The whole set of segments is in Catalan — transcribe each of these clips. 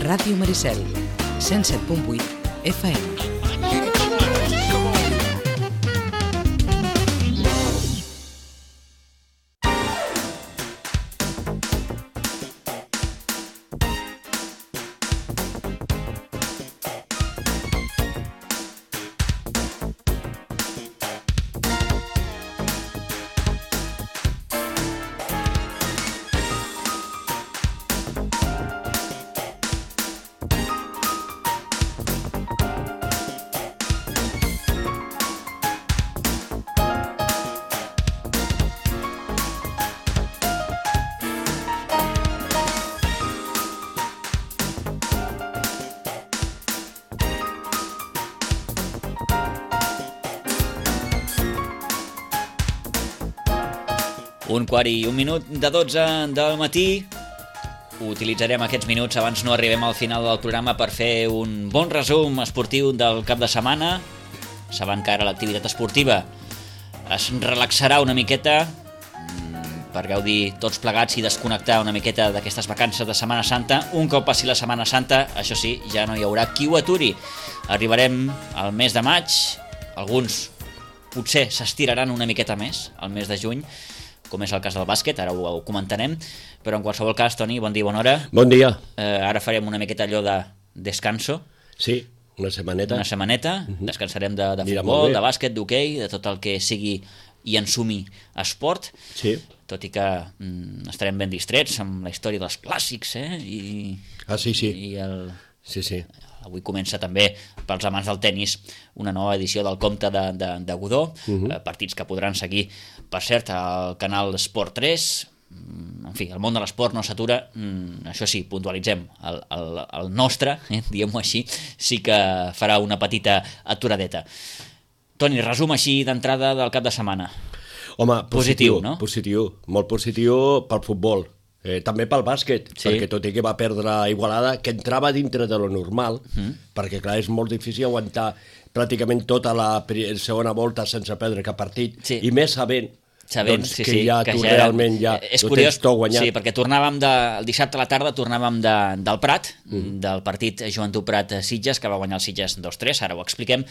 Ràdio Maricel, 107.8 FM. Un quart i un minut de 12 del matí. Utilitzarem aquests minuts abans no arribem al final del programa per fer un bon resum esportiu del cap de setmana. Saben que ara l'activitat esportiva es relaxarà una miqueta per gaudir tots plegats i desconnectar una miqueta d'aquestes vacances de Setmana Santa. Un cop passi la Setmana Santa, això sí, ja no hi haurà qui ho aturi. Arribarem al mes de maig, alguns potser s'estiraran una miqueta més, al mes de juny, com és el cas del bàsquet, ara ho comentarem, però en qualsevol cas, Toni, bon dia, bona hora. Bon dia. Ara farem una miqueta allò de descanso. Sí, una setmaneta. Una setmaneta, descansarem de futbol, de bàsquet, d'hoquei, de tot el que sigui i ensumi esport, sí. Tot i que estarem ben distrets amb la història dels clàssics, sí. I el... Sí. Avui comença també, pels amants del tennis, una nova edició del Comte de Godó, partits que podran seguir, per cert, al canal Esport 3. En fi, el món de l'esport no s'atura, això sí, puntualitzem, el nostre, diguem-ho així, sí que farà una petita aturadeta. Toni, resum així d'entrada del cap de setmana. Home, positiu, no? Positiu, molt positiu pel futbol. També pel bàsquet, sí. Perquè tot i que va perdre Igualada, que entrava dintre de lo normal, perquè clar, és molt difícil aguantar pràcticament tota la segona volta sense perdre cap partit, sí. I més sabent doncs, sí, que ja tu realment ja ho tens tot guanyat. Sí, perquè tornàvem el dissabte a la tarda tornàvem del Prat, del partit Joventut Prat-Sitges, que va guanyar el Sitges 2-3, ara ho expliquem,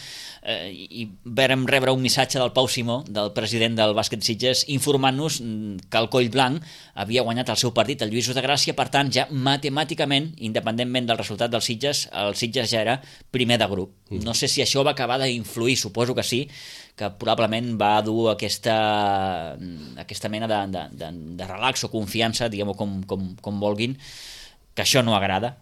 i vàrem rebre un missatge del Pau Simó, del president del bàsquet Sitges, informant-nos que el Collblanc havia guanyat el seu partit, el Lluïsos de Gràcia, per tant ja matemàticament, independentment del resultat del Sitges, el Sitges ja era primer de grup. No sé si això va acabar d'influir, suposo que sí, que probablement va dur aquesta mena de relax o confiança, diguem-ho com vulguin, que això no agrada,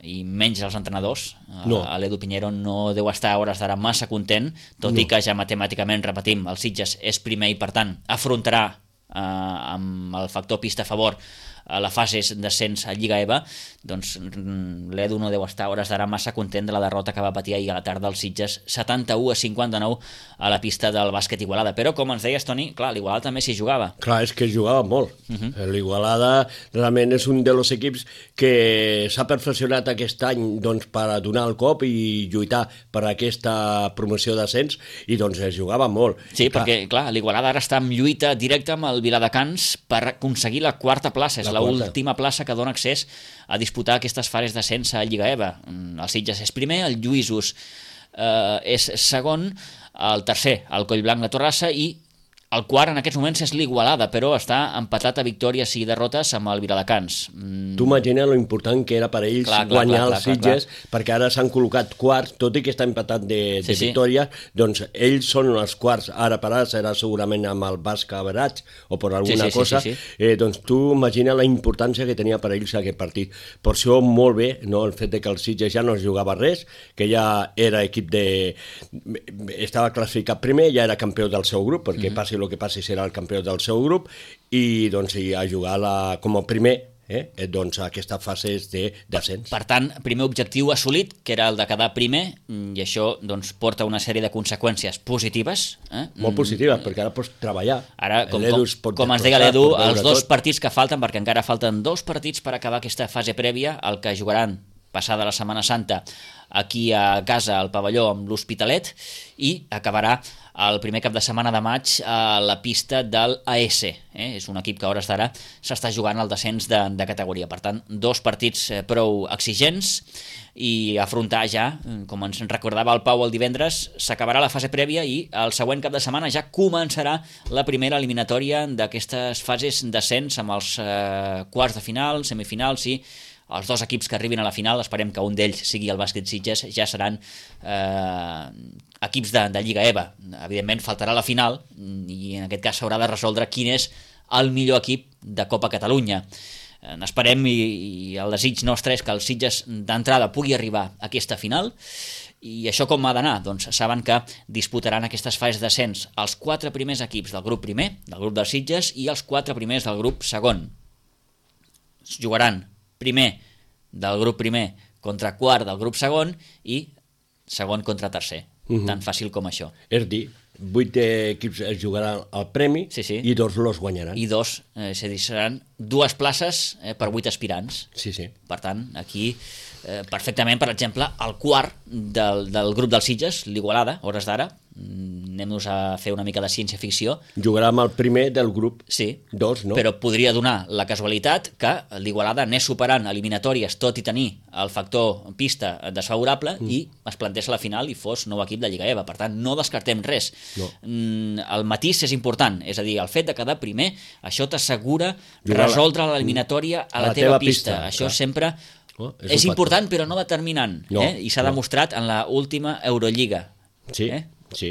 i menys als entrenadors. No. L'Edu Pinheiro no deu estar a hores d'ara massa content, tot i que ja matemàticament, repetim, el Sitges és primer i per tant afrontarà amb el factor pista a favor a la fase d'ascens a Lliga EVA, doncs l'Edu no deu estar a hores d'ara massa content de la derrota que va patir ahir a la tarda als Sitges, 71-59 a la pista del bàsquet Igualada. Però, com ens deies, Toni, clar, l'Igualada també s'hi jugava. Clar, és que jugava molt. L'Igualada realment és un dels equips que s'ha perfeccionat aquest any doncs, per a donar el cop i lluitar per aquesta promoció d'ascens, i doncs es jugava molt. Sí, perquè, clar, l'Igualada ara està en lluita directa amb el Viladecans per aconseguir la quarta plaça, és l'última plaça que dona accés a disputar aquestes fases d'ascens a Lliga EVA. El Sitges és primer, el Lluïsos és segon, el tercer, el Collblanc de Torrassa, i el quart en aquests moments és l'Igualada, però està empatat a victòries i derrotes amb el Viladecans. Tu imagina lo important que era per ells guanyar els Sitges, perquè ara s'han col·locat quarts, tot i que està empatat de victòries, doncs ells són els quarts, ara per ara serà segurament amb el Basc Average o per alguna cosa. Doncs tu imagina la importància que tenia per ells aquest partit. Per això molt bé, no, el fet de que el Sitges ja no es jugava res, que ja era equip estava classificat primer, ja era campió del seu grup, perquè passi el que passi serà el campió del seu grup, i doncs a jugar com a primer doncs aquestes fases d'ascens. Per tant, primer objectiu assolit, que era el de quedar primer, i això doncs, porta una sèrie de conseqüències positives. Molt positives, perquè ara pots treballar. Ara, com ens deia l'Edu, els dos partits que falten, perquè encara falten 2 partits per acabar aquesta fase prèvia, el que jugaran passada la Setmana Santa aquí a casa al pavelló amb l'Hospitalet, i acabarà el primer cap de setmana de maig a la pista del AS. És un equip que a hores d'ara s'està jugant al descens de categoria. Per tant, 2 partits prou exigents i afrontar ja, com ens recordava el Pau el divendres, s'acabarà la fase prèvia i el següent cap de setmana ja començarà la primera eliminatòria d'aquestes fases d'ascens amb els quarts de final, semifinals i els 2 equips que arribin a la final. Esperem que un d'ells sigui el Bàsquet Sitges, ja seran equips de Lliga EVA. Evidentment faltarà la final i en aquest cas s'haurà de resoldre quin és el millor equip de Copa Catalunya. Esperem i el desig nostre és que el Sitges d'entrada pugui arribar a aquesta final. I això com ha d'anar? Doncs saben que disputaran aquestes fases d'ascens els 4 primers equips del grup primer, del grup dels Sitges, i els 4 primers del grup segon. Es jugaran primer del grup primer contra quart del grup segon i segon contra tercer. Tan fàcil com això. És dir, 8 equips es jugaran al premi i 2 los guanyaran. I 2, és a dir, seran 2 places per 8 aspirants. Sí. Per tant, aquí perfectament, per exemple, el quart del grup dels Sitges, l'Igualada, hores d'ara, anem-nos a fer una mica de ciència-ficció. Jugarà amb el primer del grup 2, no? Però podria donar la casualitat que l'Igualada anés superant eliminatòries tot i tenir el factor pista desfavorable i es plantés a la final i fos nou equip de Lliga EVA. Per tant, no descartem res. No. El matís és important, és a dir, el fet de quedar primer, això t'assegura resoldre l'eliminatòria a la teva pista. Això sempre és important però no determinant. I s'ha demostrat en l'última Eurolliga. Sí.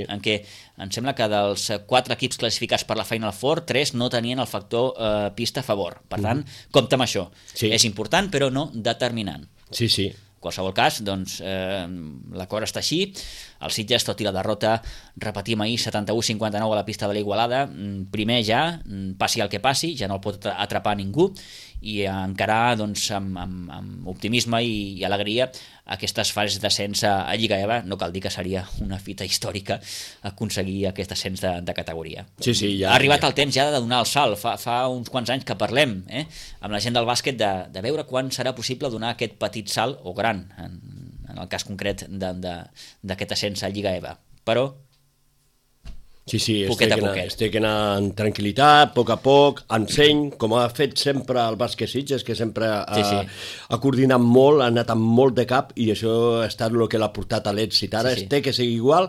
En què em sembla que dels 4 equips classificats per la Final Four, 3 no tenien el factor pista a favor. Per tant, compta amb això. És important però no determinant. Sí. En qualsevol cas, doncs, l'acord està així. El Sitges, tot i la derrota, repetim ahir, 71-59 a la pista de l'Igualada, primer ja, passi el que passi, ja no el pot atrapar ningú, i encarar doncs, amb optimisme i alegria aquestes fases d'ascens a Lliga EVA. No cal dir que seria una fita històrica aconseguir aquest ascens de categoria. Ja, ha arribat el temps ja de donar el salt. Fa uns quants anys que parlem amb la gent del bàsquet de veure quan serà possible donar aquest petit salt, o gran, en el cas concret d'aquest ascens a Lliga EVA. Però estic anant amb tranquil·litat, a poc, enseny, com ha fet sempre el Bàsquet Sitges, que sempre ha coordinat molt, ha anat amb molt de cap, i això ha estat el que l'ha portat a l'èxit. Ara té que seguir igual,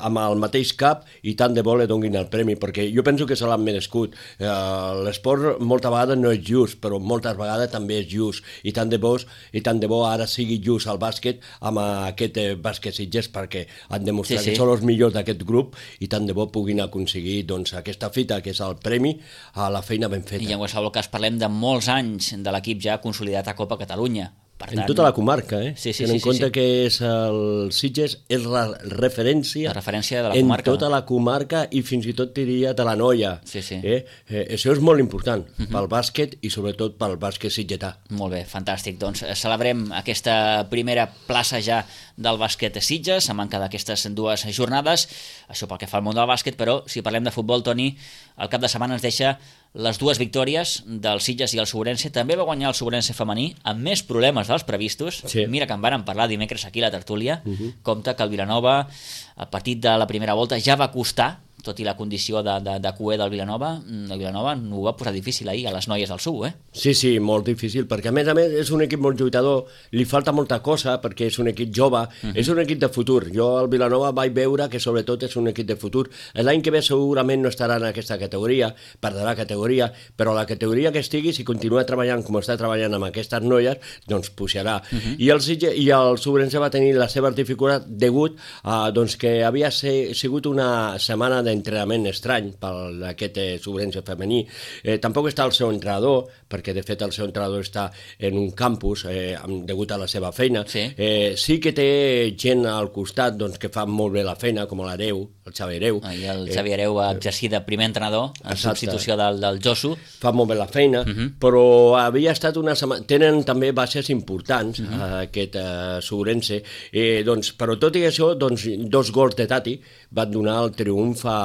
amb el mateix cap, i tant de bo li donin el premi, perquè jo penso que se l'han merescut. L'esport molta vegada no és just, però moltes vegades també és just, i tant de bo ara sigui just el bàsquet amb aquest Bàsquet Sitges, perquè han demostrat que són els millors d'aquest grup, i tant de bo puguin aconseguir aquesta fita, que és el premi a la feina ben feta. I en qualsevol cas parlem de molts anys de l'equip ja consolidat a Copa Catalunya. En tota la comarca, tenint en compte que és el Sitges és la referència de la en comarca. Tota la comarca i fins i tot diria de la Noia. Això és molt important pel bàsquet i sobretot pel bàsquet sitgetà. Molt bé, fantàstic. Doncs celebrem aquesta primera plaça ja del bàsquet Sitges, a manca d'aquestes 2 jornades. Això pel que fa al món del bàsquet, però si parlem de futbol, Toni, el cap de setmana ens deixa les 2 victòries del Sitges i el Sobrense. També va guanyar el Sobrense femení amb més problemes dels previstos. Mira que en vàrem parlar dimecres aquí a la tertúlia. Compte que el Vilanova, el partit de la primera volta ja va costar, tot i la condició de cué del Vilanova. El Vilanova ho va posar difícil ahir a les noies del SU, Sí, molt difícil, perquè a més és un equip molt lluitador, li falta molta cosa perquè és un equip jove, és un equip de futur. Jo al Vilanova vaig veure que sobretot és un equip de futur. L'any que ve segurament no estarà en aquesta categoria, perdrà categoria, però la categoria que estigui, si continua treballant com està treballant amb aquestes noies, doncs pujarà. I el Sobrense va tenir les seves dificultats degut a que havia sigut una setmana d'entrenament estrany per aquest Sobrense femení. Tampoc està el seu entrenador, perquè de fet el seu entrenador està en un campus degut a la seva feina. Sí que té gent al costat que fa molt bé la feina, com l'Hereu, el Xavi Hereu. I el Xavi Hereu va exercir de primer entrenador en substitució del Josu. Fa molt bé la feina, però havia estat una setmana... Tenen també bases importants, aquest Sobrense, però tot i això, 2 gols de Tati van donar el triomf a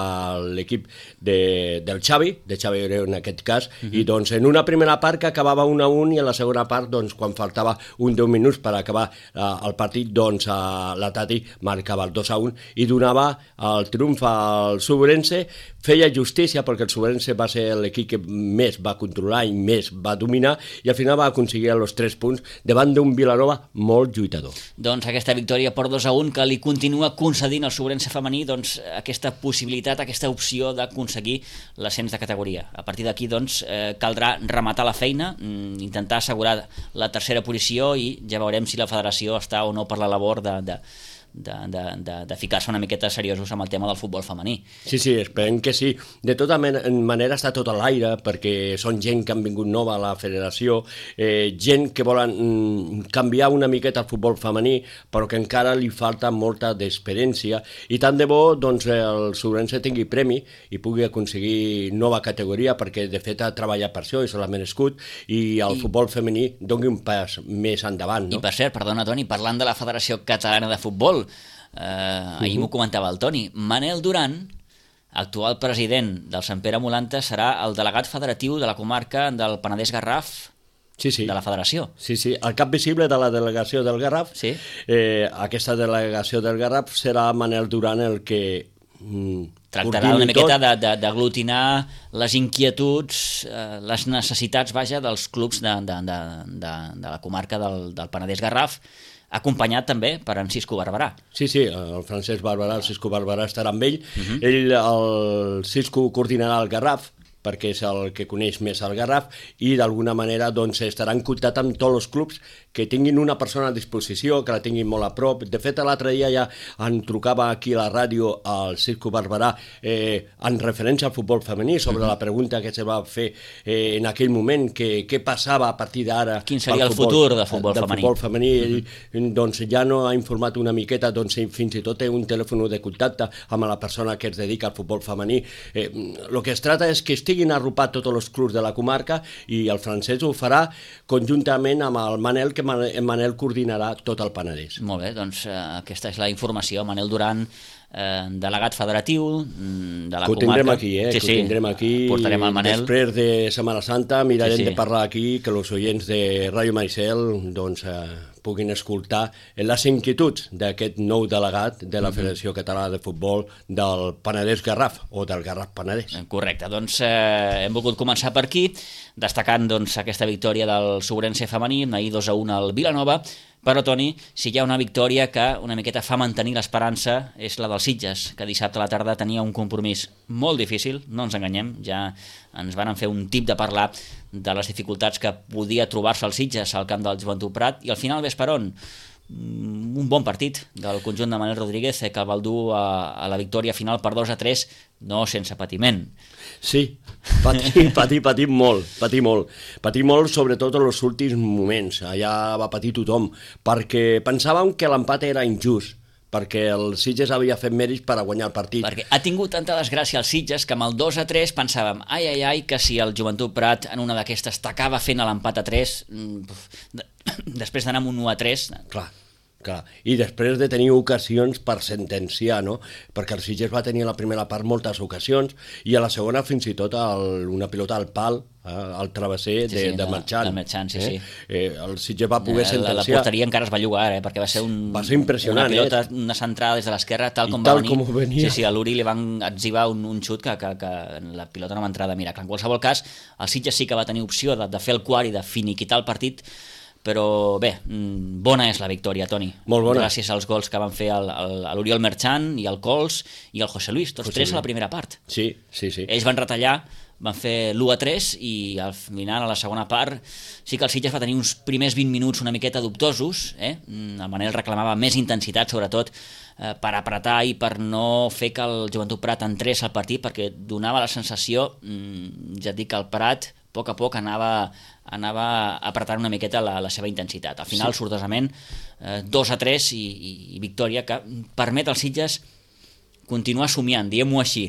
l'equip del Xavi Hereu en aquest cas, i en una primera part que acabava 1-1 i en la segona part, quan faltava 10 minuts per acabar el partit, la Tati marcava el 2-1 i donava el triomf al Subrense, feia justícia perquè el Subrense va ser l'equip que més va controlar i més va dominar i al final va aconseguir els 3 punts davant d'un Vilanova molt lluitador. Doncs aquesta victòria per 2-1 que li continua concedint al Subrense femení doncs, aquesta possibilitat, aquesta opció d'aconseguir l'ascens de categoria. A partir d'aquí doncs, caldrà rematar la feina, intentar assegurar la tercera posició i ja veurem si la federació està o no per la labor de ficar-se una miqueta seriosos amb el tema del futbol femení. Sí, esperem que sí. De tota manera està tot a l'aire perquè són gent que han vingut nova a la federació, gent que volen canviar una miqueta el futbol femení però que encara li falta molta d'experiència i tant de bo doncs, el Subrense tingui premi i pugui aconseguir nova categoria perquè de fet ha treballat per això i se l'ha merescut i el futbol femení doni un pas més endavant. No? I per cert, perdona Toni, parlant de la Federació Catalana de Futbol, ahir m'ho comentava el Toni, Manel Duran, actual president del Sant Pere Molanta, serà el delegat federatiu de la comarca del Penedès-Garraf de la federació. Sí, el cap visible de la delegació del Garraf. Sí. Aquesta delegació del Garraf serà Manel Duran el que tractarà una miqueta d'aglutinar les inquietuds, les necessitats, dels clubs de la comarca del Penedès-Garraf, acompanyat també per en Cisco Barberà. Sí, el Francesc Barberà, el Cisco Barberà estarà amb ell. Ell, el Cisco, coordinarà el Garraf, perquè és el que coneix més el Garraf, i d'alguna manera doncs, estarà en contacte amb tots els clubs que tinguin una persona a disposició, que la tinguin molt a prop. De fet, l'altre dia ja en trucava aquí a la ràdio al Cisco Barberà en referència al futbol femení, sobre la pregunta que se va fer en aquell moment, què passava a partir d'ara. Quin seria el futur del futbol femení? Ell doncs, ja no ha informat una miqueta, doncs, fins i tot té un telèfon de contacte amb la persona que es dedica al futbol femení. El que es tracta és que estiguin arropats tots els clubs de la comarca i el Francesc ho farà conjuntament amb el Manel, que Manel coordinarà tot el Penedès. Molt bé, doncs aquesta és la informació. Manel Duran, delegat federatiu de la comarca. Ho tindrem aquí, ho tindrem aquí. Portarem el Manel. Després de Setmana Santa mirarem de parlar aquí, que els oients de Ràdio Maricel doncs, puguin escoltar les inquietuds d'aquest nou delegat de la Federació Catalana de Futbol del Penedès-Garraf o del Garraf-Penedès. Correcte, doncs hem volgut començar per aquí, destacant doncs, aquesta victòria del Subrense femení, ahir 2-1 al Vilanova, però Toni, si hi ha una victòria que una miqueta fa mantenir l'esperança és la dels Sitges, que dissabte a la tarda tenia un compromís molt difícil, no ens enganyem, ja ens van fer un tip de parlar de les dificultats que podia trobar-se els Sitges al camp del Joventut Prat, i al final ves per on? Un bon partit del conjunt de Manel Rodríguez que el va dur a la victòria final per 2-3, no sense patiment. Sí, patir molt, sobretot en els últims moments. Allà va patir tothom, perquè pensàvem que l'empat era injust, perquè el Sitges havia fet mèrits per a guanyar el partit. Perquè ha tingut tanta desgràcia el Sitges que amb el 2-3 pensàvem, que si el Joventut Prat en una d'aquestes t'acaba fent l'empat a 3, després d'anar amb un 1-3... Clar, i després de tenir ocasions per sentenciar, no? Perquè el Sitges va tenir a la primera part moltes ocasions i a la segona fins i tot una pilota al pal, al travesser de Marchant. De Marchant, sí. El Sitges va poder sentenciar. La porteria encara es va jugar, perquè va ser impressionant, una pilota, una centrada des de l'esquerra, tal com va venir. Sí, a l'Uri li van atzivar un xut que la pilota no va entrar de miracle. En qualsevol cas, el Sitges sí que va tenir opció de fer el quart i de finiquitar el partit, però bé, bona és la victòria, Toni. Molt bona. Gràcies als gols que van fer l'Oriol Merchant i el Cols i el José Luis, tots tres a la primera part. Sí. Ells van retallar, van fer l'1-3 i al final, a la segona part, sí que el Sitges va tenir uns primers 20 minuts una miqueta dubtosos. El Manel reclamava més intensitat, sobretot per apretar i per no fer que el Joventut Prat entrés al partit, perquè donava la sensació, ja et dic, que el Prat a poc anava apretant una miqueta la seva intensitat. Al final, sortosament, 2-3 i victòria que permet als Sitges continuar somiant, diguem-ho així.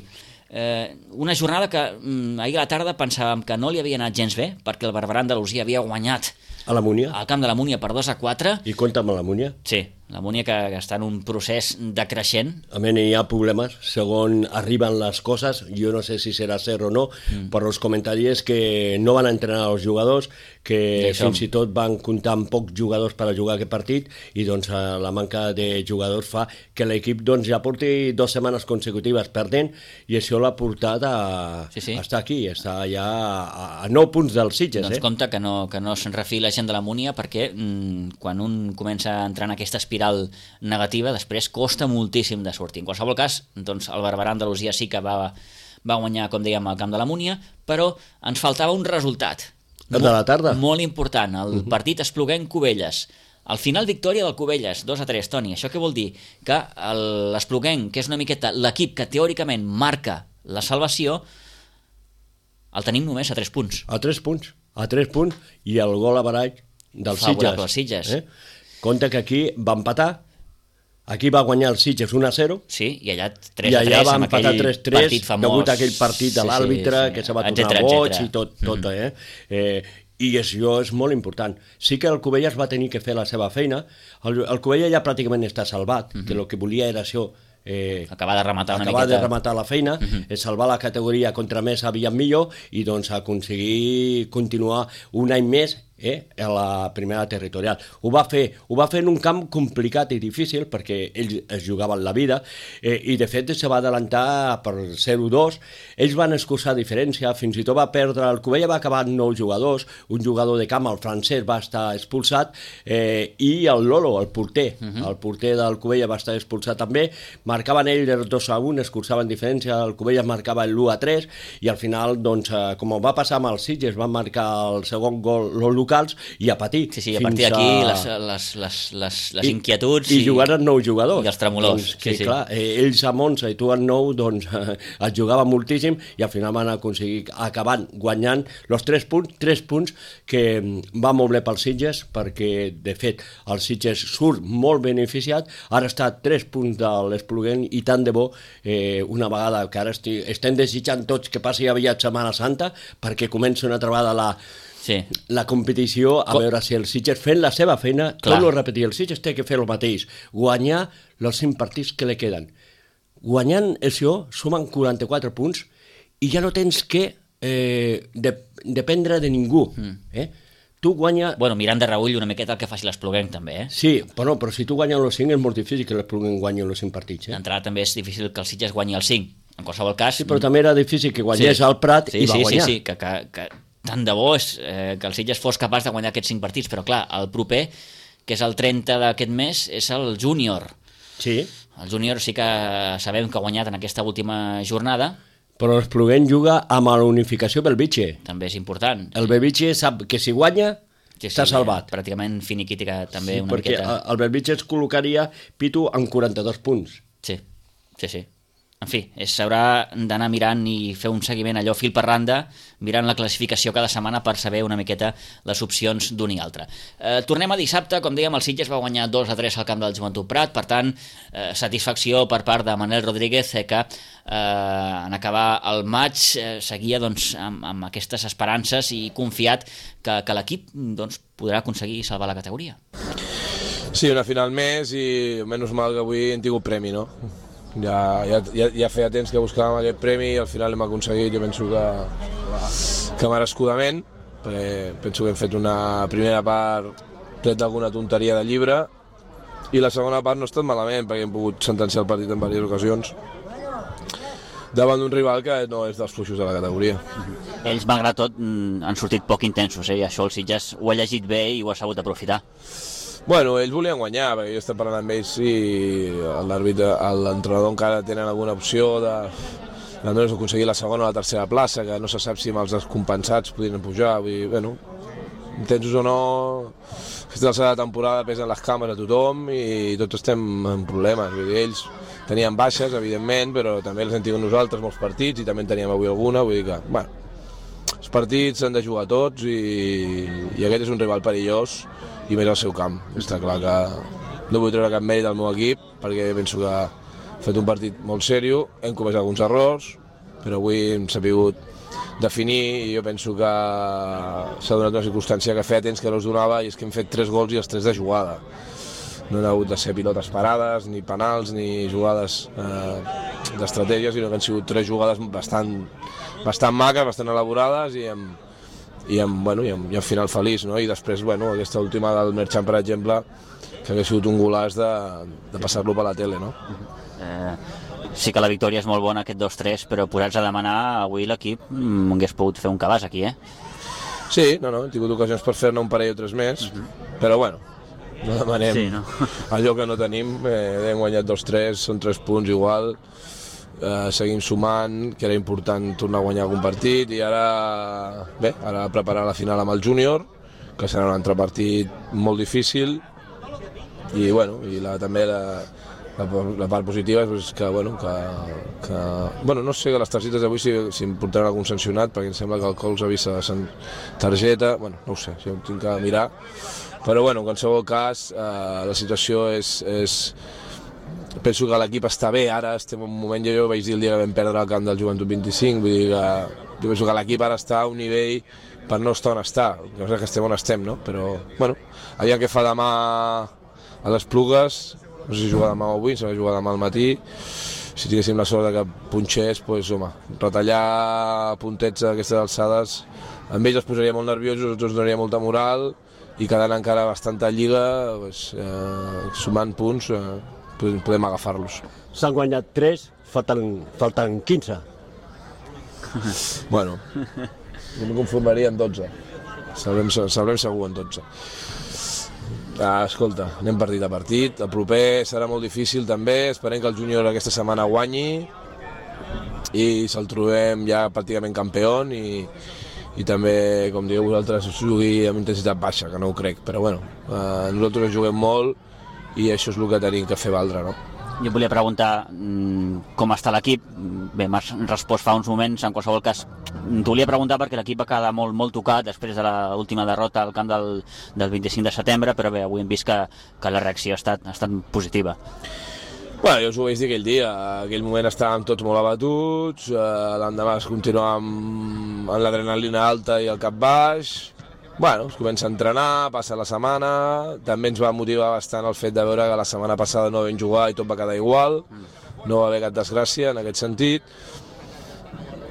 Una jornada que ahir a la tarda pensàvem que no li havia anat gens bé, perquè el Barberà Andalusia havia guanyat a la Múnia, al camp de la Múnia per 2-4. I compta amb la Múnia? Sí, La Múnia que està en un procés decreixent. A mi hi ha problemes, segons arriben les coses, jo no sé si serà cert o no, però els comentaris que no van entrenar els jugadors, que fins i tot van comptar amb pocs jugadors per a jugar aquest partit, i doncs la manca de jugadors fa que l'equip doncs, ja porti 2 setmanes consecutives perdent, i això l'ha portat a estar aquí, està ja a 9 punts dels Sitges. Doncs compte que no se'n refiï la gent de la Múnia, perquè quan un comença a entrar en aquesta espiral negativa, després costa moltíssim de sortir. En qualsevol cas, doncs, el Barberà Andalusia sí que va guanyar, com dèiem, al camp de la Múnia, però ens faltava un resultat de la tarda molt important, el partit Espluguenc-Cubelles. Al final, victòria del Cubelles, 2-3, Toni. Això què vol dir? Que l'Espluguenc, que és una miqueta l'equip que teòricament marca la salvació, el tenim només a 3 punts. A 3 punts, i el gol a barall del Sitges. Compte que aquí va empatar, aquí va guanyar el Sitges 1-0, sí, i allà 3-3, i allà va empatar 3-3, degut a aquell partit de l'àrbitre, que se va tornar boig i tot. I això és molt important. Sí que el Cubelles va tenir que fer la seva feina. El Cubelles ja pràcticament està salvat, que el que volia era això, acabar de rematar la feina, salvar la categoria contra més aviat millor, i doncs aconseguir continuar un any més a la primera territorial. Ho va fer en un camp complicat i difícil, perquè ells es jugaven la vida, i de fet se va adelantar per 0-2. Ells van escurçar diferència, fins i tot va perdre, el Cubella va acabar amb 9 jugadors, un jugador de camp, el francès, va estar expulsat, i el Lolo, el porter del Cubella va estar expulsat també. Marcaven ells el 2-1, escurçaven diferència, el Cubella marcava el 1-3, i al final, doncs, com va passar amb els Sitges, van marcar el segon gol los locals, i a patir. Sí, a partir d'aquí les inquietuds i jugaren 9 jugadors. I els tremolors. Doncs, clar, ells amb 11 i tu amb 9, doncs es jugava moltíssim, i al final van aconseguir acabant guanyant els 3 punts que va molt bé pels Sitges, perquè de fet el Sitges surt molt beneficiat, ara està a 3 punts de l'Espluguenc, i tant de bo, una vegada que ara estem desitjant tots que passi aviat Setmana Santa, perquè comença una altra vegada la competició, a veure si el Sitges fent la seva feina, torno a repetir, el Sitges té que fer el mateix, guanyar els 5 partits que li queden. Guanyant això, sumen 44 punts, i ja no tens que dependre de ningú. Tu guanya... Bueno, mirant de reull una miqueta el que faci l'Espluguenc també, Sí, però si tu guanyes els 5 és molt difícil que l'Espluguenc guanyi els 5 partits. D'entrada també és difícil que el Sitges guanyi els 5. En qualsevol cas... Sí, però també era difícil que guanyés el Prat i va guanyar. Sí, que tant de bo és que el Sitges fos capaç de guanyar aquests 5 partits, però clar, el proper, que és el 30 d'aquest mes, és el júnior. Sí. El júnior sí que sabem que ha guanyat en aquesta última jornada. Però l'Espluguenc juga amb la unificació Belvitge. També és important. El Belvitge sap que si guanya, està salvat. Pràcticament finiquítica també una miqueta. Perquè el Belvitge es col·locaria, Pitu, amb 42 punts. Sí. En fi, s'haurà d'anar mirant i fer un seguiment allò fil per randa, mirant la classificació cada setmana per saber una miqueta les opcions d'un i altre. Tornem a dissabte, com dèiem, el Sitges va guanyar 2-3 al camp del Joventut Prat, per tant, satisfacció per part de Manel Rodríguez, que en acabar el maig seguia doncs, amb aquestes esperances i confiat que l'equip doncs, podrà aconseguir salvar la categoria. Sí, una final més, i menys mal que avui hem tingut premi, no? Ja feia temps que buscàvem aquest premi i al final l'hem aconseguit. Jo penso que merescudament, perquè penso que hem fet una primera part tret d'alguna tonteria de llibre, i la segona part no ha estat malament, perquè hem pogut sentenciar el partit en diverses ocasions davant d'un rival que no és dels fluixos de la categoria. Ells, malgrat tot, han sortit poc intensos, i això el Sitges ho ha llegit bé i ho ha sabut aprofitar. Bueno, ells volien guanyar, perquè jo estic parlant amb ells i l'entrenador encara tenen alguna opció d'almenys aconseguir la segona o la tercera plaça, que no se sap si amb els descompensats podrien pujar. Vull dir, bueno, intensos o no, aquesta alçada de temporada pesen les cames a tothom i tots estem en problemes. Vull dir, ells tenien baixes, evidentment, però també els hem tingut nosaltres molts partits i també en teníem avui alguna, vull dir que, bueno, els partits s'han de jugar tots i aquest és un rival perillós, i més al seu camp. Està clar que no vull treure cap mèrit al meu equip, perquè penso que ha fet un partit molt seriós, hem comès alguns errors, però avui hem sabut definir, i jo penso que s'ha donat una circumstància que feia temps que no es donava, i és que hem fet 3 gols i els 3 de jugada. no han hagut de ser pilotes parades, ni penals, ni jugades d'estratègia, sinó que han sigut 3 jugades bastant maques, bastant elaborades i amb final feliç, no? I després, aquesta última del Merchant, per exemple, que hauria sigut un golaç de passar-lo per la tele, no? Sí que la victòria és molt bona, aquest 2-3, però posats a demanar, avui l'equip hagués pogut fer un cabàs aquí, Sí, hem tingut ocasions per fer-ne un parell o 3 més, però no demanem allò que no tenim, hem guanyat 2-3, són 3 punts igual, seguim sumant, que era important tornar a guanyar algun partit, i ara preparar la final amb el júnior, que serà un altre partit molt difícil, i també la part positiva és que no sé que les targetes d'avui si em portaran algun sancionat, perquè em sembla que el Cols ha vist la targeta, no ho sé, si ho tinc que mirar, però en qualsevol cas la situació és penso que l'equip està bé, ara estem en un moment, jo vaig dir el dia que vam perdre el camp del Joventut 25, vull dir que jo penso que l'equip ara està a un nivell per no estar on està, no sé que estem on estem, no? Però, aviam què fa demà a les Plugues, no sé si jugar demà o avui, si va jugar demà al matí, si tinguéssim la sort que punxés, retallar puntets a aquestes alçades, amb ells els posaria molt nerviosos, tots donaria molta moral, i quedant encara bastanta lliga, sumant punts, podem agafar-los. S'han guanyat 3, falten 15. Jo m'ho conformaria en 12. Sabrem segur en 12. Escolta, anem partit a partit. El proper serà molt difícil també. Esperem que el júnior aquesta setmana guanyi i se'l trobem ja pràcticament campió i també, com digueu vosaltres, jugui amb intensitat baixa, que no ho crec. Però nosaltres juguem molt i això és el que tenim que fer valdre, no? Jo volia preguntar com està l'equip. Bé, m'has respost fa uns moments, en qualsevol cas t'ho volia preguntar perquè l'equip va quedar molt tocat després de l'última derrota al camp del 25 de setembre, però bé, avui hem vist que la reacció ha estat positiva. Jo us ho vaig dir aquell dia, en aquell moment estàvem tots molt abatuts, l'endemà es continuava amb l'adrenalina alta i el cap baix. Es comença a entrenar, passa la setmana, també ens va motivar bastant el fet de veure que la setmana passada no vam jugar i tot va quedar igual, no va haver cap desgràcia en aquest sentit,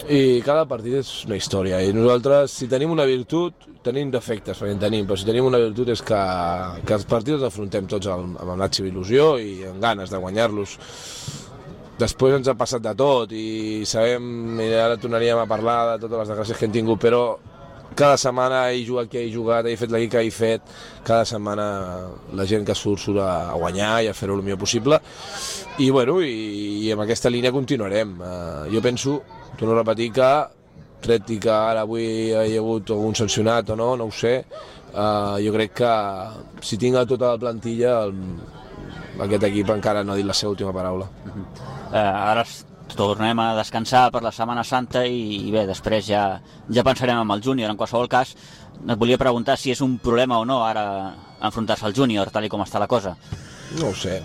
i cada partit és una història, i nosaltres, si tenim una virtut, tenim defectes, perquè en tenim, però si tenim una virtut és que els partits els afrontem tots amb la màxima il·lusió i amb ganes de guanyar-los. Després ens ha passat de tot i sabem, i ara tornaríem a parlar de totes les desgràcies que hem tingut, però cada setmana he jugat que he jugat, he fet l'equip que he fet, cada setmana la gent que surt a guanyar i a fer-ho el millor possible, i amb aquesta línia continuarem. Jo penso, torno a repetir, que tret i que ara avui hi ha hagut algun sancionat o no ho sé, jo crec que si tinc tota la plantilla aquest equip encara no ha dit la seva última paraula. Ara tornem a descansar per la Setmana Santa i bé, després ja pensarem en el júnior. En qualsevol cas, et volia preguntar si és un problema o no ara enfrontar-se al júnior, tal com està la cosa. No ho sé.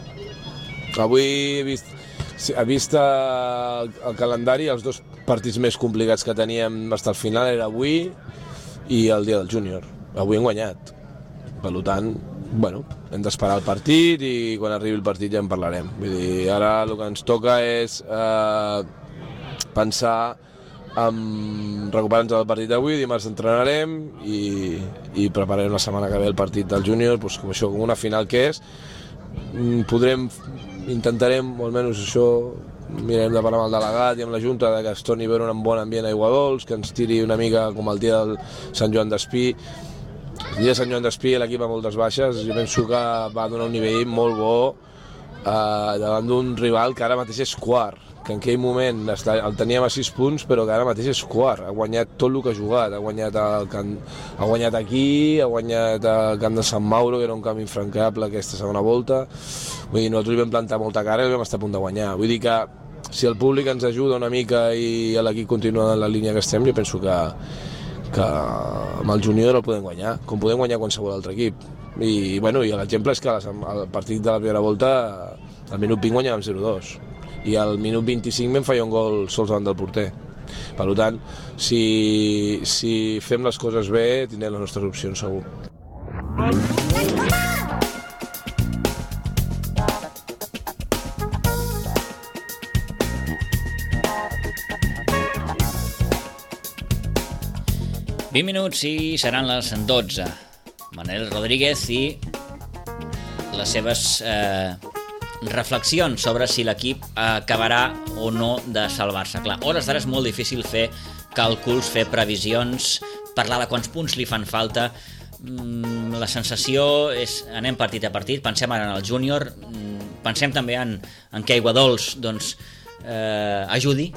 Avui he vist el calendari, els 2 partits més complicats que teníem fins al final era avui i el dia del júnior. Avui hem guanyat. Per tant, hem d'esperar el partit i quan arribi el partit ja en parlarem. Vull dir, ara el que ens toca és pensar en recuperar-nos del partit d'avui, dimarts entrenarem i prepararem la setmana que ve el partit del júnior, com una final que és. Intentarem, o almenys això, mirarem de parlar amb el delegat i amb la Junta que es torni a veure un bon ambient a Aiguadols, que ens tiri una mica com el dia del Sant Joan d'Espí. El dia de Sant Joan d'Espí l'equip a moltes baixes, jo penso que va donar un nivell molt bo davant d'un rival que ara mateix és quart, que en aquell moment el teníem a 6 punts, però que ara mateix és quart, ha guanyat tot el que ha jugat, ha guanyat aquí, ha guanyat el camp de Sant Mauro, que era un camp infrancable aquesta segona volta. Vull dir, nosaltres hi vam plantar molta cara i vam estar a punt de guanyar. Vull dir que si el públic ens ajuda una mica i l'equip continua en la línia que estem, jo penso que amb el júnior el podem guanyar, com podem guanyar qualsevol altre equip. I l'exemple és que al partit de la primera volta al minut 20 guanyàvem 0-2 i al minut 25 vam fallar un gol sols davant del porter. Per tant, si fem les coses bé tindrem les nostres opcions segur. 20 minuts i seran les 12. Manel Rodríguez i les seves reflexions sobre si l'equip acabarà o no de salvar-se. Clar, a hores d'ara és molt difícil fer càlculs, fer previsions, parlar de quants punts li fan falta. La sensació és anem partit a partit, pensem ara en el júnior, pensem també en què Aiguadols ajudi,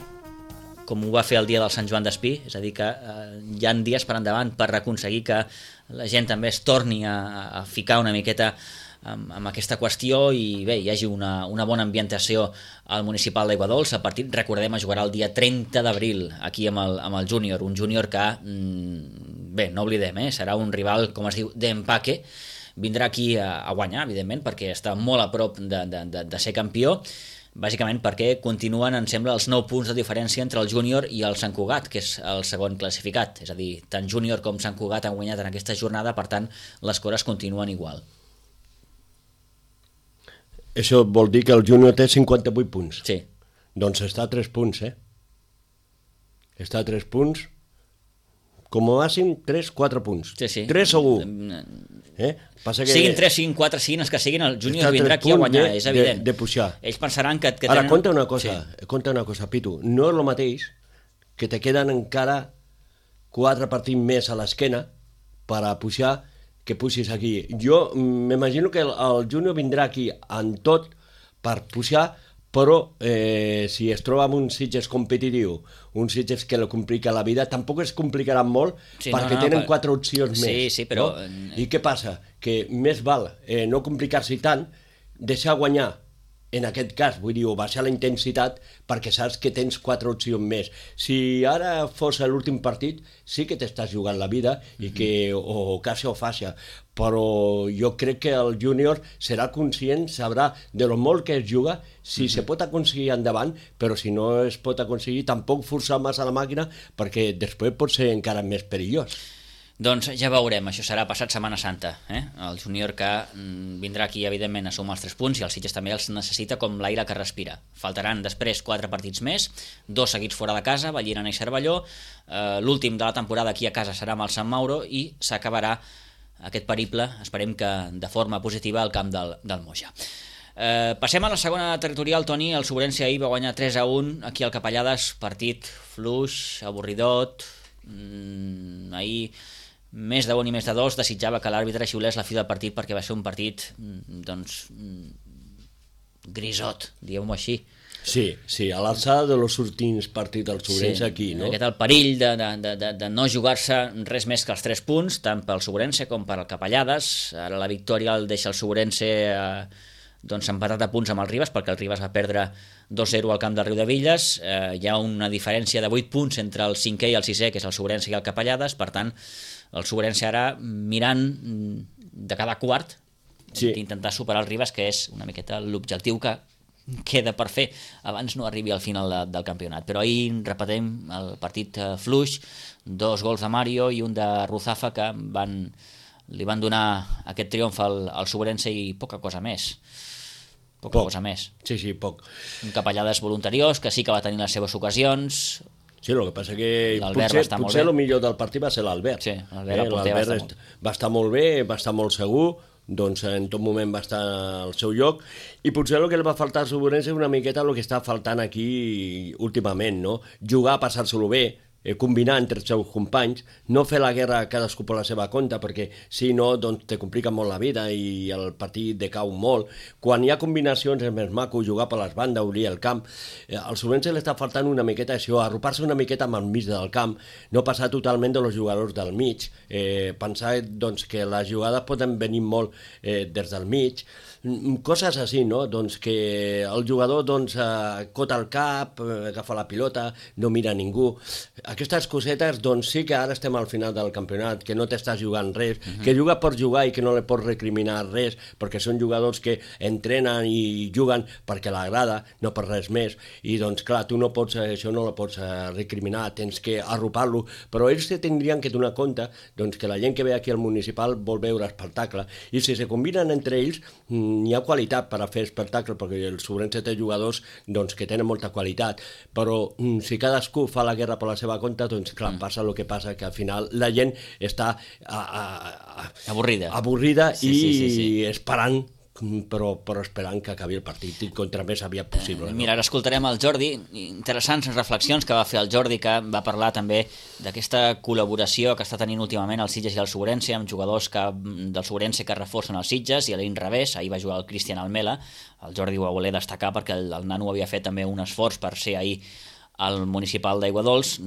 com ho va fer el dia del Sant Joan d'Espí, és a dir que hi ha dies per endavant per aconseguir que la gent també es torni a ficar una miqueta amb aquesta qüestió i bé, hi hagi una bona ambientació al municipal d'Aiguadols. El partit, recordem, es jugarà el dia 30 d'abril aquí amb el júnior, un júnior que, bé, no oblidem, serà un rival, com es diu, d'empaque, vindrà aquí a guanyar, evidentment, perquè està molt a prop de ser campió, bàsicament perquè continuen, em sembla, els 9 punts de diferència entre el júnior i el Sant Cugat, que és el segon classificat, és a dir, tant júnior com Sant Cugat han guanyat en aquesta jornada, per tant, les coses continuen igual. Això vol dir que el júnior té 58 punts. Sí. Doncs està a 3 punts, Està a 3 punts, com a màxim 3-4 punts. Sí. 3 segur. Passa que siguin 3, siguin 4, siguin els que siguin, el júnior vindrà aquí a guanyar, és evident. De pujar. Ells pensaran que Ara, tenen... conta una cosa, Pitu. No és el mateix que te queden encara 4 partits més a l'esquena per a pujar que puixis aquí. Jo m'imagino que el júnior vindrà aquí en tot per pujar, però si es troba amb un Sitges competitiu, un Sitges que lo complica la vida, tampoc es complicarà molt, perquè tenen 4 opcions més. Sí, però... No? I què passa? Que més val no complicar-s'hi tant, deixar guanyar, en aquest cas, vull dir, o baixar la intensitat perquè saps que tens 4 opcions més. Si ara fos l'últim partit, sí que t'estàs jugant la vida i que o caixa o faixa, però jo crec que el júnior serà conscient, sabrà de lo molt que es juga, si se pot aconseguir endavant, però si no es pot aconseguir, tampoc forçar massa la màquina perquè després pot ser encara més perillós. Doncs ja veurem, això serà passat Setmana Santa, el júnior que vindrà aquí evidentment a sumar els 3 punts i el Sitges també els necessita com l'aire que respira. Faltaran després 4 partits més, 2 seguits fora de casa, Vallirana i Cervelló, l'últim de la temporada aquí a casa serà amb el Sant Mauro i s'acabarà aquest periple, esperem que de forma positiva, al camp del Moja. Passem a la segona territorial, Toni. El Sobrense ahir va guanyar 3-1 aquí al Capellades, partit fluix, avorridot, ahir més de 1 i més de 2 desitjava que l'àrbitre xiulés la fi del partit perquè va ser un partit grisot, diguem-ho així. Sí, a l'alçada dels últims partits del Sobrense aquí, no? Aquest el perill de no jugar-se res més que els 3 punts, tant pel Sobrense com per al Capellades. Ara la victòria el deixa el Sobrense empatat a punts amb el Ribes, perquè el Ribes va perdre 2-0 al camp del Riudevilles. Hi ha una diferència de 8 punts entre el 5è i el 6è, que és el Sobrense i el Capellades. Per tant, el Sobrense ara mirant de cada quart d'intentar superar el Ribes, que és una miqueta l'objectiu que queda per fer abans no arribi al final del campionat. Però ahir, repetim, el partit fluix, 2 gols de Mario i un de Ruzafa que li van donar aquest triomf al Sobrense i poca cosa més. Cosa més. Sí, poc. Un Capellades voluntariós que sí que va tenir les seves ocasions. Sí, el que passa que potser el millor del partit va ser l'Albert. Sí, l'Albert va estar molt bé, va estar molt segur, doncs en tot moment va estar al seu lloc, i potser el que li va faltar al Sobrense és una miqueta el que està faltant aquí últimament, no? Jugar, passar-se-lo bé, combinar entre els seus companys, no fer la guerra cadascú per la seva compte, perquè si no, doncs te complica molt la vida i el partit decau molt. Quan hi ha combinacions és més maco jugar per les bandes, obrir el camp. Al Sobrense li està faltant una miqueta això, arropar-se una miqueta amb el mig del camp, no passar totalment dels jugadors del mig, pensar doncs, que les jugades poden venir molt des del mig, coses així, no? Doncs que el jugador cota el cap, agafa la pilota, no mira ningú. Aquestes cosetes, doncs sí que ara estem al final del campionat, que no t'estàs jugant res, que juga per jugar i que no li pots recriminar res, perquè són jugadors que entrenen i juguen perquè l'agrada, no per res més, i doncs clar, tu no pots, això no ho pots recriminar, tens que arropar-lo, però ells tindrien que donar compte doncs, que la gent que ve aquí al municipal vol veure espectacle, i si se combinen entre ells, hi ha qualitat per a fer espectacle, perquè el Sobrense té jugadors doncs, que tenen molta qualitat, però si cadascú fa la guerra per la seva compte, doncs clar, passa el que passa, que al final la gent està avorrida i esperant, però esperant que acabi el partit i contra més aviat possible. Mira, ara escoltarem el Jordi, interessants reflexions que va fer el Jordi, que va parlar també d'aquesta col·laboració que està tenint últimament el Sitges i el Sobrense, amb jugadors del Sobrense que reforcen els Sitges, i a l'inrevés, ahir va jugar el Cristian Almela. El Jordi ho va voler destacar perquè el nano havia fet també un esforç per ser ahir al municipal d'Aiguadols.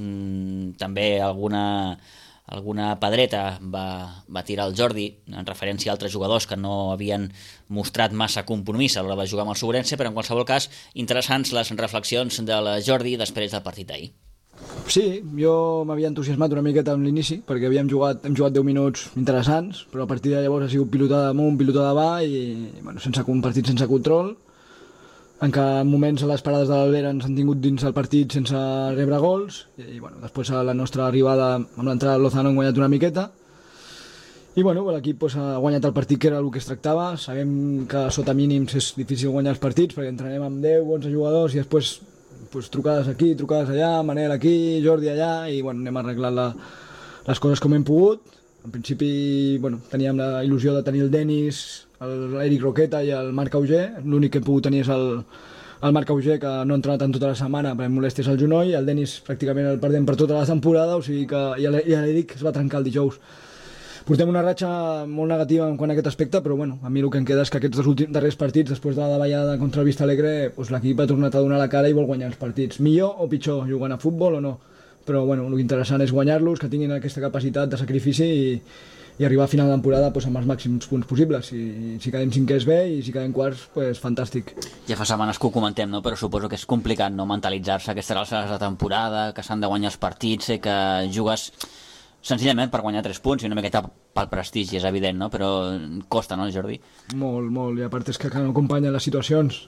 També alguna pedreta va tirar el Jordi en referència a altres jugadors que no havien mostrat massa compromís a l'hora de jugar amb el Sobrense, però en qualsevol cas interessants les reflexions del Jordi després del partit d'ahir. Sí, jo m'havia entusiasmat una miqueta amb l'inici perquè hem jugat 10 minuts interessants, però a partir de llavors ha sigut pilotada amunt, pilotada avall i sense un partit sense control, en què en moments a les parades de l'Albera ens han tingut dins el partit sense rebre gols i després a la nostra arribada amb l'entrada de Lozano hem guanyat una miqueta i l'equip ha guanyat el partit que era el que es tractava. Sabem que sota mínims és difícil guanyar els partits perquè entrenem amb 10 o 11 jugadors i després trucades aquí, trucades allà, Manel aquí, Jordi allà i anem arreglant les coses com hem pogut. En principi teníem la il·lusió de tenir el Denis, l'Eric Roqueta i el Marc Auger. L'únic que hem pogut tenir és el Marc Auger, que no ha entrenat en tota la setmana perquè molestés al genoll, i el Denis pràcticament el perdem per tota la temporada, o sigui que i l'Eric es va trencar el dijous. Portem una ratxa molt negativa en quant a aquest aspecte, però a mi el que em queda és que aquests darrers partits, després de la davallada contra el Vista Alegre, l'equip ha tornat a donar la cara i vol guanyar els partits. Millor o pitjor, jugant a futbol o no? Però el que interessant és guanyar-los, que tinguin aquesta capacitat de sacrifici i arribar a final de temporada amb els màxims punts possibles. Si quedem cinquers bé i si quedem quarts, fantàstic. Ja fa setmanes que ho comentem, no? Però suposo que és complicat no mentalitzar-se aquestes alçades de temporada, que s'han de guanyar els partits, que jugues senzillament per guanyar 3 punts i una miqueta pel prestigi, és evident, no? Però costa, no, Jordi? Molt, molt, i a part és que no acompanyen les situacions.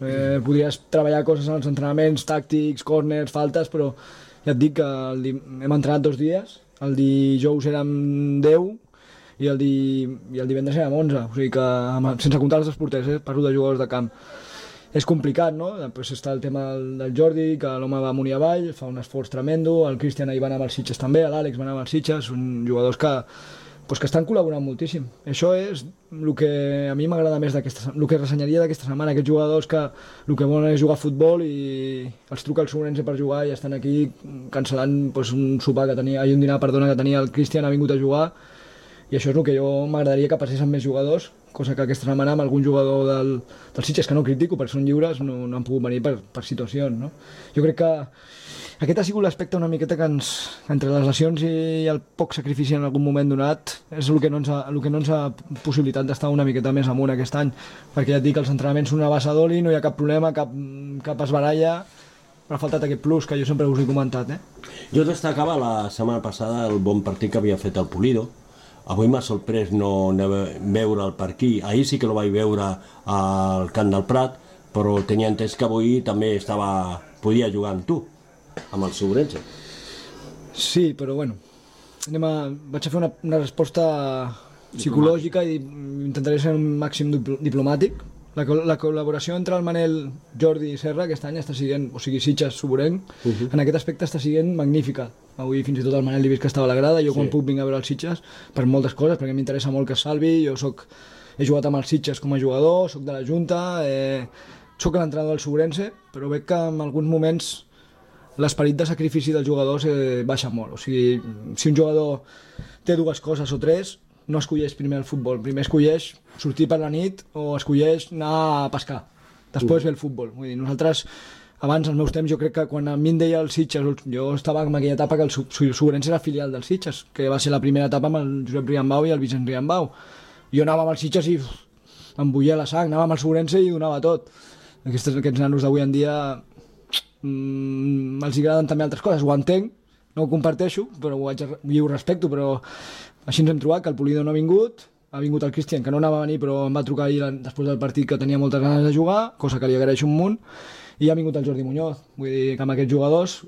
Podries treballar coses en els entrenaments, tàctics, córners, faltes, però ja et dic que hem entrenat 2 dies, el dijous érem 10 i el divendres érem 11, o sigui que sense comptar els 2 porters, parlo de jugadors de camp. És complicat, no? Després està el tema del Jordi, que l'home va amunt i avall, fa un esforç tremendo, el Cristian ahir va anar amb els Sitges també, l'Àlex va anar amb els Sitges, són jugadors que estan col·laborant moltíssim. Això és el que a mi m'agrada més el que ressenyaria d'aquesta setmana, aquests jugadors que el que volen és jugar a futbol i els truca el Sobrense per jugar i estan aquí cancel·lant un sopar que tenia, un dinar, que tenia el Cristian, ha vingut a jugar, i això és el que jo m'agradaria que passés amb més jugadors, cosa que aquesta setmana amb algun jugador del Sitges, que no critico perquè són lliures, no han pogut venir per situacions, no? Jo crec que aquest ha sigut l'aspecte una miqueta que entre les lesions i el poc sacrifici en algun moment donat és el que no ens ha possibilitat d'estar una miqueta més amunt aquest any, perquè ja et dic que els entrenaments són una base d'oli, no hi ha cap problema, cap esbaralla, però ha faltat aquest plus que jo sempre us he comentat. Jo destacava la setmana passada el bon partit que havia fet el Pulido. Avui m'ha sorprès no veure'l per aquí. Ahir sí que el vaig veure al Camp del Prat, però tenia entès que avui també podia jugar amb tu, amb el Sobrense. Sí, però vaig a fer una resposta psicològica i intentaré ser un màxim diplomàtic. La col·laboració entre el Manel, Jordi i Serra aquest any està sent, o sigui, Sitges, Soborenc, en aquest aspecte està sent magnífica. Avui fins i tot el Manel l'he vist que estava a la grada, jo quan puc vinc a veure els Sitges per moltes coses, perquè m'interessa molt que es salvi, he jugat amb els Sitges com a jugador, soc de la Junta, soc l'entrenador del Sobrense, però veig que en alguns moments l'esperit de sacrifici dels jugadors baixa molt. O sigui, si un jugador té 2 coses o 3, no escolleix primer el futbol, primer escolleix sortir per la nit o escolleix anar a pescar, després ve el futbol. Vull dir, nosaltres, abans, als meus temps, jo crec que quan a mi em deia el Sitges, jo estava en aquella etapa que el Sobrense era filial del Sitges, que va ser la primera etapa amb el Josep Riambau i el Vicent Riambau. Jo anava amb el Sitges i em bullia la sang, anava amb el Sobrense i donava tot. Aquests nanos d'avui en dia els agraden també altres coses, ho entenc, no ho comparteixo, però ho respecto, però així ens hem trobat que el Pulido no ha vingut el Cristian, que no anava a venir però em va trucar ahir després del partit que tenia moltes ganes de jugar, cosa que li agraeixo un munt, i ha vingut el Jordi Muñoz. Vull dir que amb aquests jugadors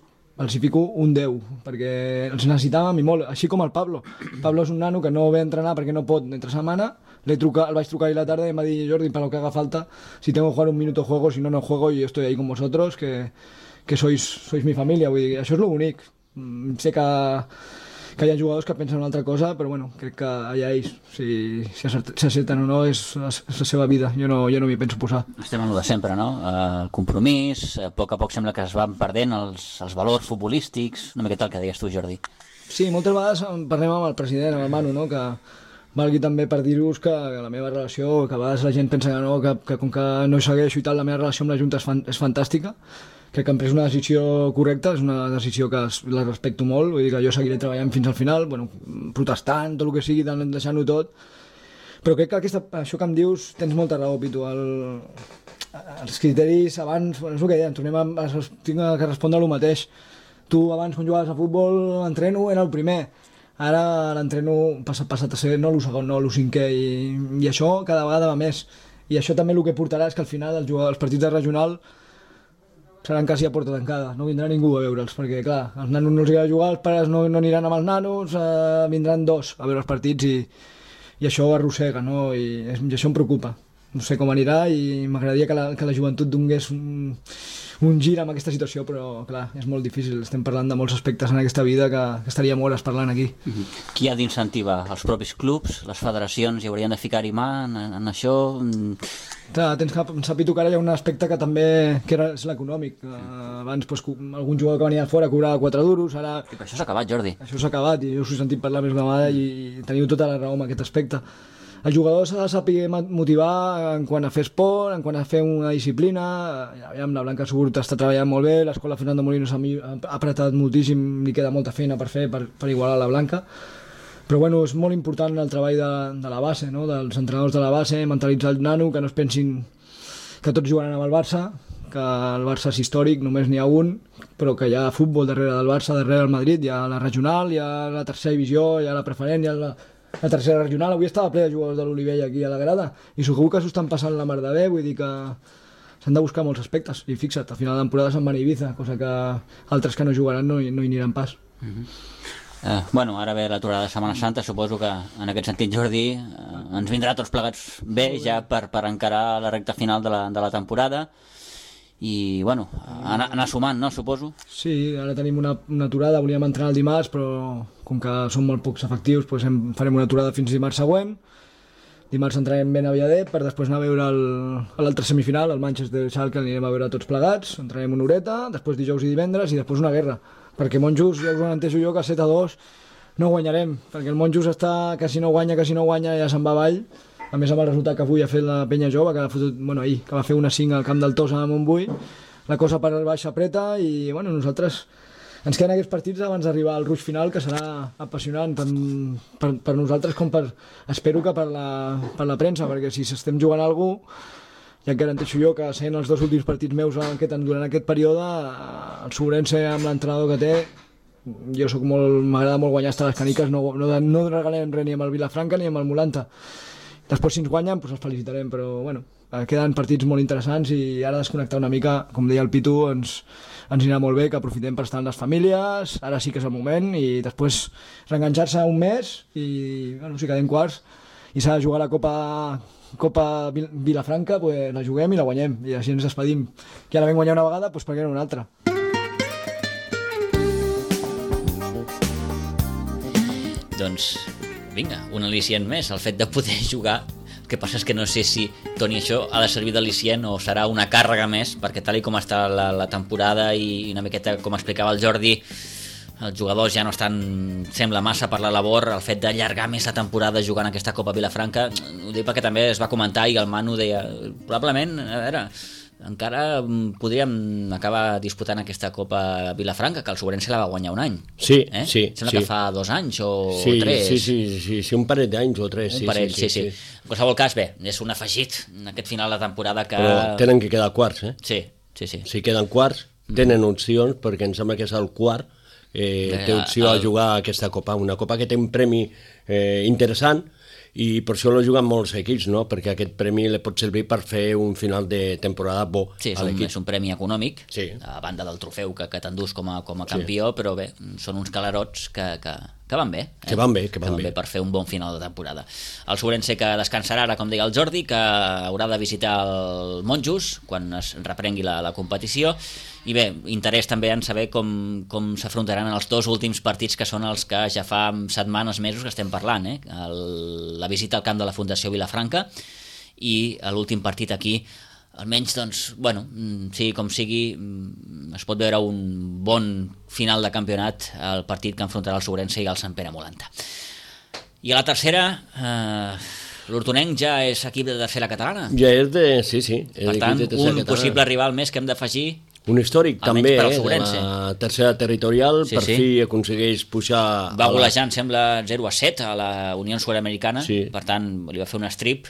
els hi fico un 10, perquè els necessitàvem i molt, així com el Pablo. Pablo és un nano que no ve a entrenar perquè no pot entre setmana, el vaig trucar ahir a la tarda i em va dir: Jordi, para lo que haga falta, si tengo que jugar un minuto juego, si no, no juego, y yo estoy ahí con vosotros, que sois mi familia. Vull dir, això és lo bonic. Sé que hi ha jugadors que pensen una altra cosa, però bueno, crec que allà ells, si accepten o no, és la seva vida. Jo no m'hi penso posar. Estem en el de sempre, no? El compromís, a poc sembla que es van perdent els valors futbolístics, una miqueta el que deies tu, Jordi. Sí, moltes vegades parlem amb el president, amb el Manu, no? Que valgui també per dir-vos que la meva relació, que a vegades la gent pensa que no, que com que no hi segueixo i tal, la meva relació amb la Junta és fantàstica. Crec que hem pres una decisió correcta, és una decisió que la respecto molt, vull dir que jo seguiré treballant fins al final, bueno, protestant, tot el que sigui, deixant-ho tot, però crec que això que em dius tens molta raó, Pitu, els criteris abans, bueno, és el que deien, tinc que respondre el mateix. Tu abans quan jugaves a futbol, l'entreno era el primer, ara l'entreno passat a ser no el segon, no el cinquè, i això cada vegada va més, i això també el que portarà és que al final els partits de regional seran quasi a porta tancada, no vindrà ningú a veure'ls, perquè clar, als nanos no els agrada jugar, els pares no aniran amb els nanos, vindran dos a veure els partits i això arrossega, no? I això em preocupa. No sé com anirà i m'agradaria que la joventut donés un gir amb aquesta situació, però clar, és molt difícil. Estem parlant de molts aspectes en aquesta vida que estaríem hores parlant aquí. Qui ha d'incentivar? Els propis clubs? Les federacions hi haurien de ficar-hi mà en això? Clar, tens que pensar, Pitu, que ara hi ha un aspecte que també és l'econòmic. Abans algun jugador que venia de fora cobrava 4 duros, ara... I per això s'ha acabat, Jordi. Això s'ha acabat i jo us he sentit parlar més d'una vegada i teniu tota la raó en aquest aspecte. El jugador s'ha de saber motivar en quant a fer esport, en quant a fer una disciplina. La Blanca Suburt està treballant molt bé, l'escola Fernando Molinos ha apretat moltíssim, li queda molta feina per fer per igualar la Blanca. Però bueno, és molt important el treball de la base, no? Dels entrenadors de la base, mentalitzar el nano, que no es pensin que tots jugaran amb el Barça, que el Barça és històric, només n'hi ha un, però que hi ha futbol darrere del Barça, darrere del Madrid, hi ha la regional, hi ha la tercera divisió, hi ha la preferent, hi ha la tercera regional. Avui estava ple de jugadors de l'Olivella aquí a la grada i segur que s'ho estan passant la mar de bé, vull dir que s'han de buscar molts aspectes i fixa't, a final de temporada se'n van a Ibiza, cosa que altres que no jugaran no hi aniran pas. Bueno, ara ve l'aturada de Setmana Santa, suposo que en aquest sentit, Jordi, ens vindrà tots plegats bé ja per encarar la recta final de la temporada i, bueno, anar sumant, no, suposo? Sí, ara tenim una aturada, volíem entrenar el dimarts, però com que són molt pocs efectius, doncs farem una aturada fins dimarts següent. Dimarts entrarem ben aviadet per després anar a veure l'altre semifinal, el Manchester Schalke, anirem a veure tots plegats, entrarem una horeta, després dijous i divendres i després una guerra, perquè Monjos, ja us ho entenso jo, que 7-2 no guanyarem, perquè el Monjos està que si no guanya ja se'n va avall. A més, amb el resultat que avui ha fet la penya jove, ahir, que va fer una 5 al camp del Tossa a Montbui, la cosa per baix apreta i bueno, nosaltres ens queden aquests partits abans d'arribar al rush final, que serà apassionant per nosaltres com espero que per la premsa, perquè si estem jugant a algú, ja et garanteixo jo que sent els 2 últims partits meus durant aquest període, el Sobrense amb l'entrenador que té, m'agrada molt guanyar hasta les caniques, no regalem res ni amb el Vilafranca ni amb el Molanta. Després si ens guanyen doncs els felicitarem, però bueno, queden partits molt interessants i ara desconnectar una mica, com deia el Pitu, ens anirà molt bé, que aprofitem per estar amb les famílies, ara sí que és el moment, i després reenganxar-se un mes i bueno, si quedem quarts i s'ha de jugar la Copa Vilafranca, pues la juguem i la guanyem i així ens despedim, que ara vam guanyar una vegada, doncs per què no una altra. Doncs vinga, un al·licient més, el fet de poder jugar. El que passa és que no sé si, Toni, això ha de servir d'al·licient o serà una càrrega més, perquè tal com està la temporada i una miqueta, com explicava el Jordi, els jugadors ja no estan, sembla massa per la labor, el fet d'allargar més la temporada jugant aquesta Copa Vilafranca, ho dic perquè també es va comentar i el Manu deia, probablement, a veure, encara podríem acabar disputant aquesta Copa Vilafranca, que el Sobrense la va guanyar un any. Sí, sí. Sembla que fa 2 anys o 3. Sí, un parell d'anys o 3. Un parell, sí. En qualsevol cas, bé, és un afegit en aquest final de temporada que... Però tenen que quedar quarts, Sí. Si queden quarts, tenen opcions, perquè em sembla que és el quart, té opció a jugar a aquesta Copa. Una Copa que té un premi interessant, i per això lo juguen molts equips, no? Perquè aquest premi li pot servir per fer un final de temporada bo a l'equip. És un premi econòmic, sí, a banda del trofeu que t'endús com a campió, sí, però bé, són uns calarots que que van bé. Que van bé per fer un bon final de temporada. El Sobrense que descansarà ara, com deia el Jordi, que haurà de visitar el Monjos quan es reprengui la competició, i bé, interès també en saber com s'afrontaran els 2 últims partits, que són els que ja fa setmanes, mesos que estem parlant, la visita al camp de la Fundació Vilafranca i l'últim partit aquí. Almenys, doncs, bueno, sigui com sigui, es pot veure un bon final de campionat al partit que enfrontarà el Sobrense i el Sant Pere Molanta. I a la tercera, l'Hortonenc ja és equip de tercera catalana. Ja és de... Sí. Per tant, un possible rival més que hem d'afegir. Un històric també, la tercera territorial, per fi aconsegueix pujar... Va golejar, em sembla, 0-7 a la Unió Sud-americana, per tant, li va fer un strip.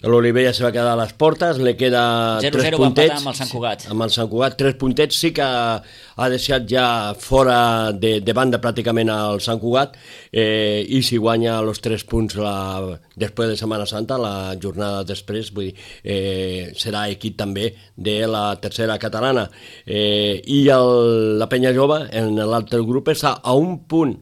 L'Olivella se va quedar a les portes, li queda 3 puntets. 0-0 va empatar amb el Sant Cugat. Amb el Sant Cugat, 3 puntets, sí que ha deixat ja fora de banda pràcticament el Sant Cugat, i si guanya els 3 punts després de Setmana Santa, la jornada després, vull dir, serà equip també de la tercera catalana. I la Penya Jove en l'altre grup està a un punt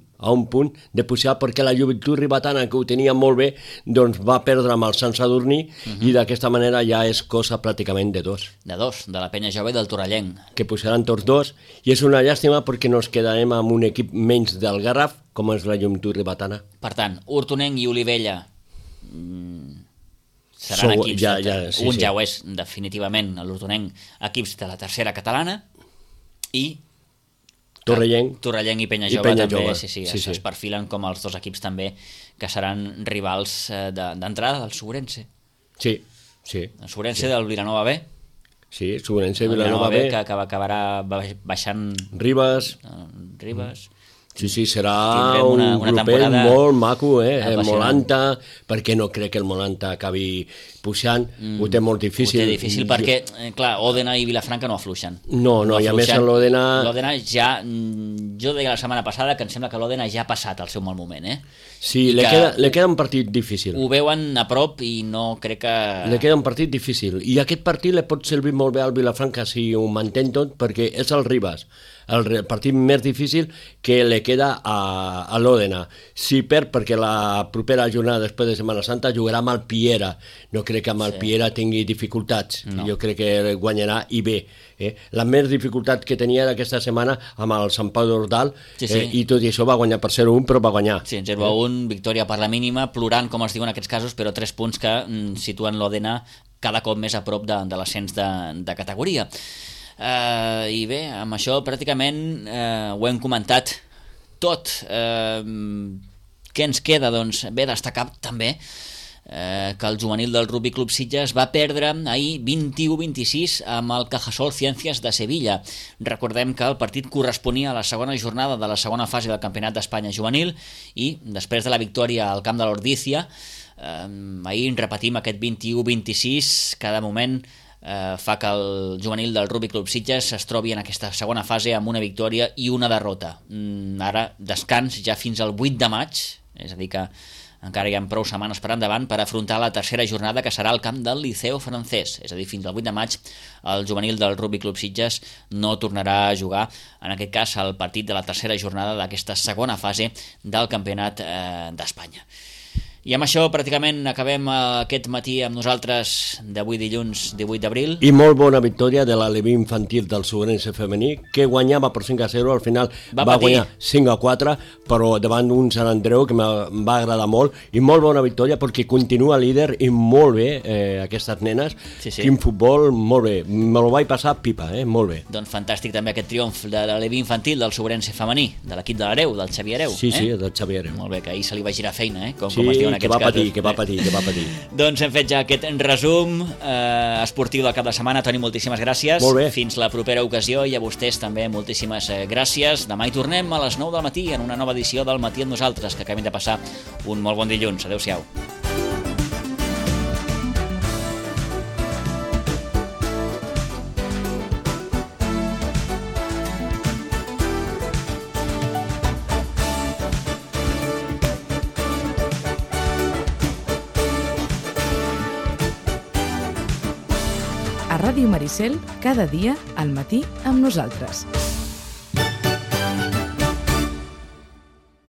de pujar, perquè la Joventut Ribetana, que ho tenia molt bé, doncs va perdre amb el Sant Sadurní, i d'aquesta manera ja és cosa pràcticament de 2. De la Penya Jove i del Torrellenc. Que pujaran tots 2, i és una llàstima perquè nos quedarem amb un equip menys del Garraf, com és la Joventut Ribetana. Per tant, Hortonenc i Olivella seran equips, un ja ho és definitivament, l'Hortonenc, equips de la tercera catalana, i Torrellenc i Penya Jove també es perfilen com els 2 equips també que seran rivals d'entrada del Sobrense. Sí. El Sobrense del Vilanova B. Sí, Sobrense Vilanova B. Que acabarà baixant Ribes. Sí, serà un grupet molt maco, Molanta, perquè no crec que el Molanta acabi puixant, ho té molt difícil. Ho té difícil perquè, clar, Òdena i Vilafranca no afluixen. No, i a més l'Òdena... L'Òdena ja, jo deia la setmana passada que em sembla que l'Òdena ja ha passat el seu mal moment, Sí, li queda un partit difícil. Ho veuen a prop i no crec que... Li queda un partit difícil, i aquest partit li pot servir molt bé al Vilafranca si ho mantén tot, perquè és el Ribes, el partit més difícil que li queda a l'Òdena. Si perd, perquè la propera jornada després de Setmana Santa jugarà amb el Piera. No crec que amb el Piera tingui dificultats. Jo crec que guanyarà i bé. La més dificultat que tenia aquesta setmana amb el Sant Pau d'Ordal, i tot i això va guanyar per 0-1, però va guanyar. Sí, 0-1, victòria per la mínima, plorant, com es diu en aquests casos, però 3 punts que situen l'Òdena cada cop més a prop de l'ascens de categoria. I bé, amb això pràcticament ho hem comentat tot. Què ens queda? Doncs bé, destacar també que el juvenil del Rugby Club Sitges va perdre ahir 21-26 amb el Cajasol Ciències de Sevilla. Recordem que el partit corresponia a la segona jornada de la segona fase del Campionat d'Espanya juvenil, i després de la victòria al camp de l'Ordícia, ahir repetim aquest 21-26, cada moment fa que el juvenil del Rugby Club Sitges es trobi en aquesta segona fase amb una victòria i una derrota. Ara descans ja fins al 8 de maig, és a dir que encara hi ha prou setmanes per endavant per afrontar la tercera jornada, que serà al camp del Liceo Francès. És a dir, fins al 8 de maig el juvenil del Rugby Club Sitges no tornarà a jugar, en aquest cas, el partit de la tercera jornada d'aquesta segona fase del Campionat d'Espanya. I amb això pràcticament acabem aquest matí amb nosaltres d'avui dilluns 18 d'abril. I molt bona victòria de l'Aleví infantil del Sobrense femení, que guanyava per 5-0, al final va guanyar 5-4, però davant d'un Sant Andreu que em va agradar molt, i molt bona victòria perquè continua líder, i molt bé aquestes nenes. Quin futbol, molt bé, me lo vaig passar pipa, molt bé. Doncs fantàstic també aquest triomf de l'Aleví infantil del Sobrense femení, de l'equip de l'Hereu, del Xavier Hereu. Sí, del Xavier Hereu. Molt bé, que ahir se li va girar feina, com es diu. Que va patir. Doncs hem fet ja aquest resum esportiu del cap de setmana. Toni, moltíssimes gràcies. Molt bé. Fins la propera ocasió, i a vostès també moltíssimes gràcies. Demà hi tornem a les 9 del matí en una nova edició del Matí amb nosaltres, que acabem de passar un molt bon dilluns. Adéu-siau. A Ràdio Maricel, cada dia al matí amb nosaltres.